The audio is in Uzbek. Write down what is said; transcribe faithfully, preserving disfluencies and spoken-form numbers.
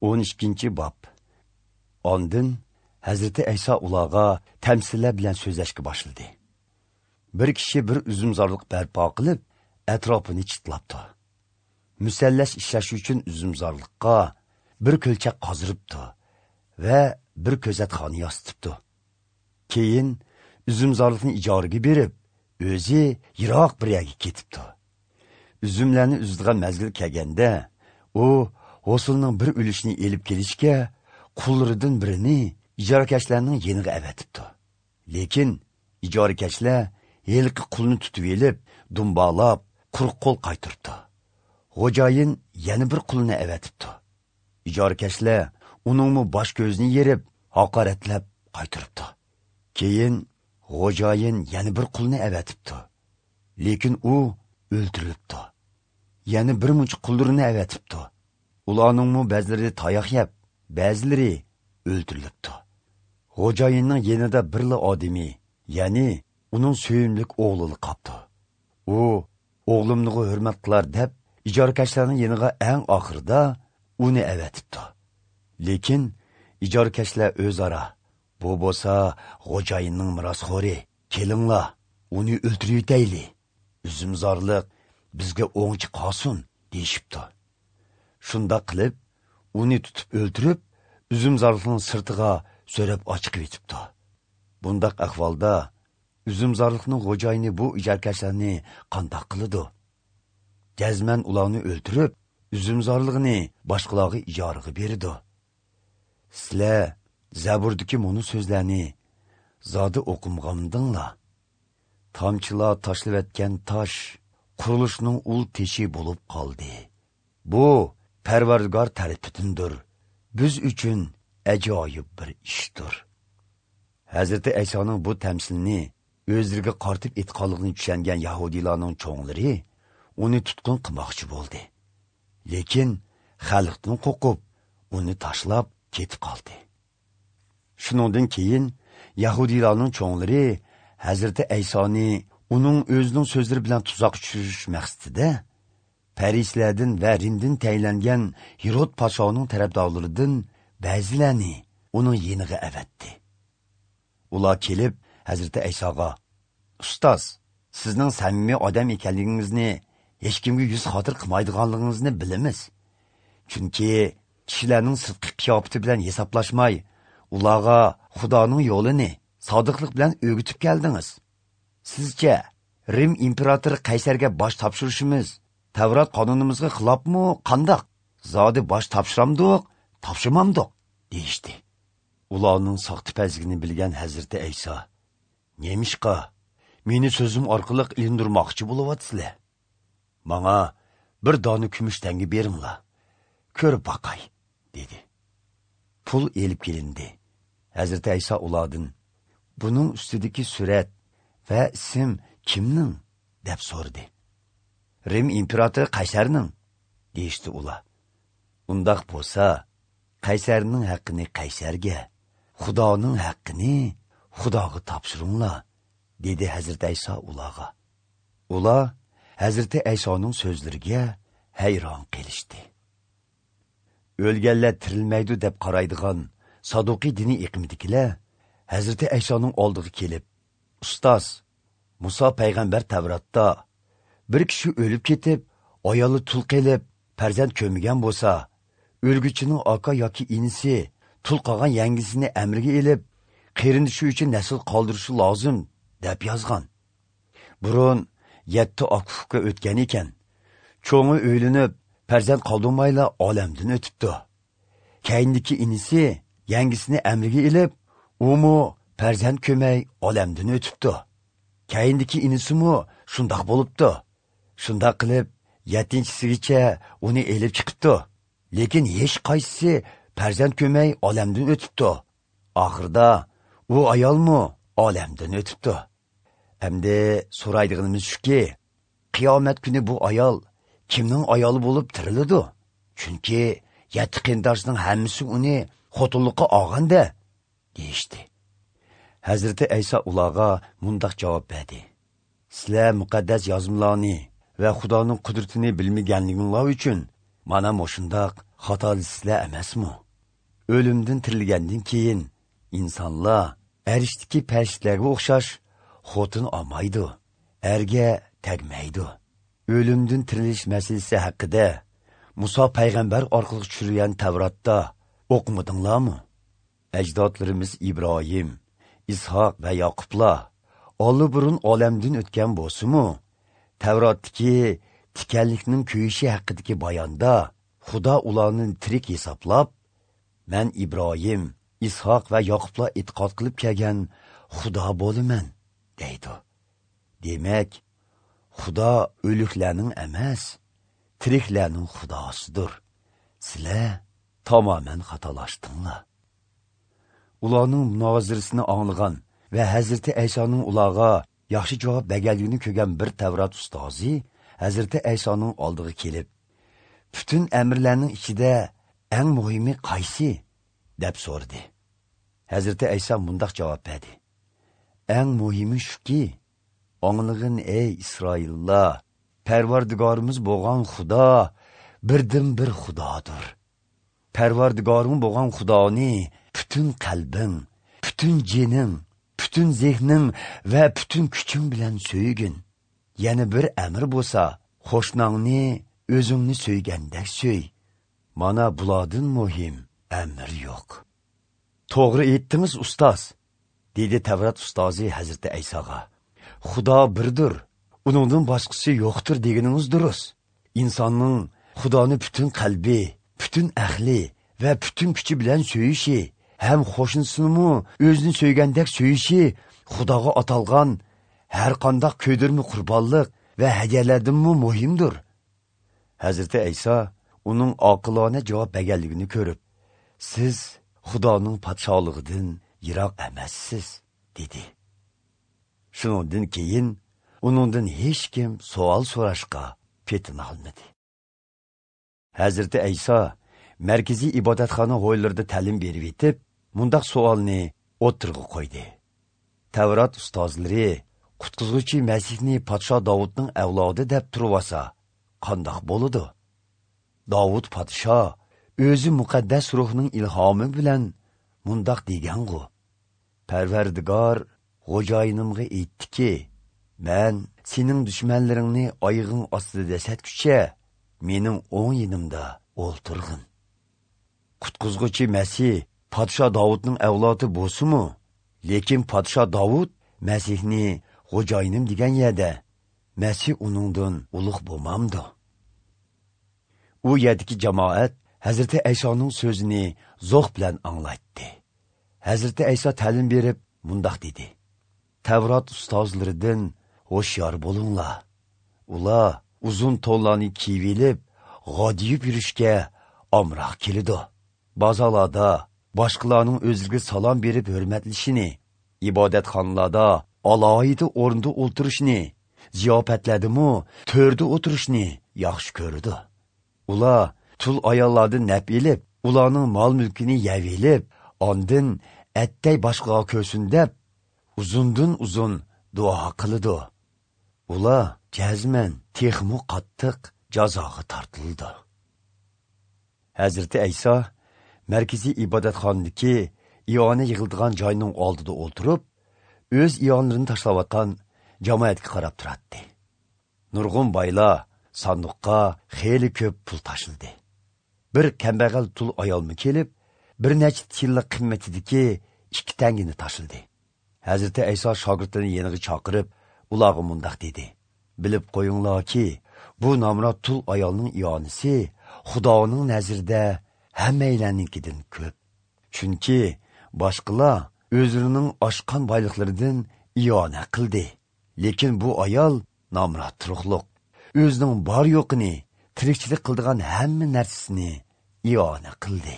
o'n ikkinchi bob. Ondan Hazrati Ayso ularga tamsillar bilan so'zlashga boshladi. Bir kishi bir uzumzorliq barpo qilib, atrofini chitlabdi. Musallash ishlash uchun uzumzorliqqa bir ko'lchak qoziribdi va bir ko'zatxona yositibdi. Keyin uzumzorliqni ijaraga berib, o'zi yiroq bir yerga ketibdi. Uzumlarni uzadigan mazgil kelganda, u hosilning bir ulushini elib kelishga qullaridan birini ijarakashlarning yeniga avatibdi. Lekin ijarakashlar yelqi qulni tutib elib, dumbalab, quruq qo'l qaytiribdi. Xo'jayin yana bir qulni avatibdi. Ijarakashlar uningmi bosh ko'zini yerib, haqoratlab qaytiribdi. Keyin xo'jayin yana bir qulni avatibdi. Lekin u o'ldirilibdi. Yana bir muncha qullarini avatibdi. Ularningmi ba'zilari tayoq yeb, ba'zilari o'ldirilibdi. Xo'jayinning yanida birla odami, ya'ni uning sevimli o'g'lini qopdi. U o'g'limni hurmat qilar deb ijorakashlarning yeniga eng oxirida uni avatibdi. Lekin ijorakashlar o'zaro, bu bo'lsa xo'jayinning merosxo'ri, kelinglar, uni o'ldirib yetayli, uzumzorliq bizga o'ngchi qolsin, deyishibdi. Shundoq qilib, uni tutib o'ldirib, uzumzorliqning sirtiga so'rab ochiq yetibdi. Bundaq ahvolda uzumzorliqning xo'jayini bu ijarkashlarni qandoq qiladi? Jazman ularni o'ldirib, uzumzorlig'ini boshqalarga ijaraga beradi. Sizlar Zaburdagi muni so'zlarni zodi o'qimg'andinglar. Tomchilar tashlavatgan tosh qurilishning ul teshi bo'lib qoldi. Bu Parvardigor tarafidandir. Biz uchun ajoyib bir ishdir. Hazrati Aysoning bu tamsilini o'zlariga qartib etqonligini tushungan yahudiylarning cho'nglari uni tutqun qilmoqchi bo'ldi. Lekin xalqdan qo'rqib, uni tashlab ketib qoldi. Shuningdan keyin yahudiylarning cho'nglari Hazrati Aysoni uning o'zining so'zlari bilan tuzoq tushirish maqsadida Parislardan va Rimdan tayinlangan Hirod podshoning tarafdorlaridan ba'zilarini uning yeniga avatdi. Ular kelib Hazrati Aysoga: "Ustoz, sizning samimiy odam ekanligingizni, hech kimga yuz xotir qilmaydiganligingizni bilamiz. Chunki kishilarning sirtqi qiyofati bilan hisoblashmay, ularga Xudoning yo'lini sodiqlik bilan o'rgatib keldingiz. Sizcha Rim imperatori Qaysarga bosh topshirishimiz Tavrat qonunimizga xilofmi, qandoq? Zodi bosh topshiramdiq, topshirmamdiq?" deyishdi. Ularning soxtipazligini bilgan Hazrati Ayso: "Nemishqa, meni so'zim orqali ilindirmoqchi bo'lyapsizlar? Manga bir dona kumush tanga beringlar, ko'rib boqay", dedi. Pul elib kelindi. Hazrati Ayso ulardan: "Buning ustidagi surat va ism kimning?" deb so'radi. "Rim imperatori Qaysarning", deyishdi ular. "Undoq bo'lsa, Qaysarning haqqini Qaysarga, Xudoning haqqini Xudoga topshiringlar", dedi Hazrati Ayso ularga. Ular Hazrati Aysoning so'zlariga hayron qilishdi. O'lganlar tirilmaydi deb qaraydigan Saduqiy diniy iqimidagilar Hazrati Aysoning oldiga kelib, "Ustoz, Muso payg'ambar Tavratda bir kishi o'lib ketib, ayoli tul qilib, farzand ko'migan bo'lsa, o'lguchining aka yoki inisi tul qolgan yangisini amriga elib, qarindishi uchun nasl qoldirishi lozim", deb yozgan. Burun yetti aka o'tgan ekan. Cho'ng'i o'ylinib, farzand qoldirmayla olamdan o'tibdi. Keyindiki inisi yangisini amriga elib, umu farzand ko'may olamdan o'tibdi. Keyindiki inisimi shundoq bo'libdi. Shundoq qilib yettinchisigacha uni elib chiqibdi. Lekin hech qaysisi farzand ko'may olamdan o'tibdi. Oxirida u ayolmi olamdan o'tibdi. Endi so'raydiganimiz shuki, qiyomat kuni bu ayol kimning ayoli bo'lib tiriladi? Chunki yetti qarindoshning hammasi uni xotinlikqa olganda, deyishdi. Hazrati Ayso ularga mundoq javob berdi: "Sizlar muqaddas yozmalarni va Xudoning qudratini bilmaganliginglar uchun mana moshundaq xatolasizlar emasmi? O'limdan tirilgandan keyin insonlar arishdagi farishtalarga o'xshash xotin olmaydi, erga tegmaydi. O'limdan tirilish masalasi haqida Musa payg'ambar orqali tushirgan Tavratda o'qimadinglarmi? Ajdodlarimiz Ibrohim, Ishoq va Yoqublar olli burun olamdan o'tgan bo'lsa-mu, Tavratdagi tikanlikning kuyishi haqidagi bayonda Xudo ularni tirik hisoblab, "Men Ibrohim, Ishoq va Yoqublar e'tiqod qilib kelgan Xudo bo'laman" deydi. Demak, Xudo o'liklarning emas, tiriklarning Xudosidir. Sizlar tamoman xatolashdinglar. Ularning munozirasini anglagan va Hazrati Aysoning ularga yaxshi javob berganligini ko'rgan bir Tavrat ustozi Hazrati Aysoning oldiga kelib, "Butun amrlarning ichida eng muhimi qaysi?" deb so'radi. Hazrati Ayso mundoq javob berdi: "Eng muhimi shuki, anglag'in ey Isroillar, Parvardigorimiz bo'lgan Xudo birdan bir Xudodir. Parvardigoring bo'lgan Xudoni butun qalbing, butun jining, butun zehning va butun kuching bilan so'ygin. Yana bir amr bo'lsa, qo'shnangni o'zingni so'ygandek so'y. Mana bulardan muhim amr yo'q." "To'g'ri aytdingiz, ustoz," dedi Tavrat ustozi Hazrati Aysoga. "Xudo birdir, uningdan boshqasi yo'qdir deganingiz durust. Insonning Xudoni butun qalbi, butun ahli va butun kuchi bilan so'yishi, ham qo'shnisini o'zini so'ygandek so'yishi Xudoga atalgan har qanday ko'ydirma qurbonlik va hadyalardanmi muhimdir." Hazrati Ayso uning oqilona javob berganligini ko'rib, "Siz Xudoning podshohligidan yiroq emassiz" dedi. Shundan keyin uningdan hech kim savol so'rashga petina olmadi. Hazrati Ayso markaziy ibodatxona hovlilarida ta'lim berib yetib, mundaq savolni o'tirg'a qo'ydi. Tavrat ustozlari qutqizuvchi Masihni podsho Davudning avlodi deb turvasa, qandoq bo'ladi? Davud podsho o'zi muqaddas ruhning ilhomi bilan mundoq degan-ku: "Parvardigor xo'jayinimga aytdiki, men sening dushmanlaringni oyog'ing ostida dasatguncha mening o'ng yonimda o'ltirg'in." Qutqizg'uchi Masih podsho Davudning avlodi bo'lsa-mu, lekin podsho Davud Masihni xo'jayinim degan yerda Masih uningdan ulug' bo'lmamdi. U yerdagi jamoat Hazrati Aysoning so'zini zo'q bilan anglatdi. Hazrati Ayso ta'lim berib mundoq dedi: "Tavrat ustozlaridan hushyor bo'linglar. Ular uzun to'nlarni kiyib olib, g'odiyib yurishga omroq keladi. Bozorlarda boshqalarning o'zlariga salom berib hurmatlashini, ibodatxonalarda alohida o'rinda o'tirishni, ziyofatlardami to'rda o'tirishni yaxshi ko'radi. Ular tul ayollardan nap elib, ularning mol-mulkini yeb elib, ondin attay boshqalar ko'rsin deb uzundan uzun duo qiladi. Ular jazman texmu qattiq jazoga tortildi." Hazrati Ayso markaziy ibodatxonadagi iona yig'ildigan joyning oldida o'tirib, o'z ionlarini tashlayotgan jamoatga qarab turardi. Nurg'un boylar sandiqqa xeyli ko'p pul tashladi. Bir kambag'al tul ayolmi kelib, bir necha tilla qimmatidagi ikki tangini tashladi. Hazrati Ayso shogirdlarini yeniga chaqirib, ularga mundoq dedi: "Bilib qo'yinglarki, bu nomrod tul ayolning ionisi Xudoning nazarida hammaylarnikidan ko'p. Chunki boshqalar o'zlarining oshqan boyliqlaridan iona qildi. Lekin bu ayol nomrod turuqliq, o'zining bor yo'qini, tirikchilik qildigan hamma narsasini iona qildi."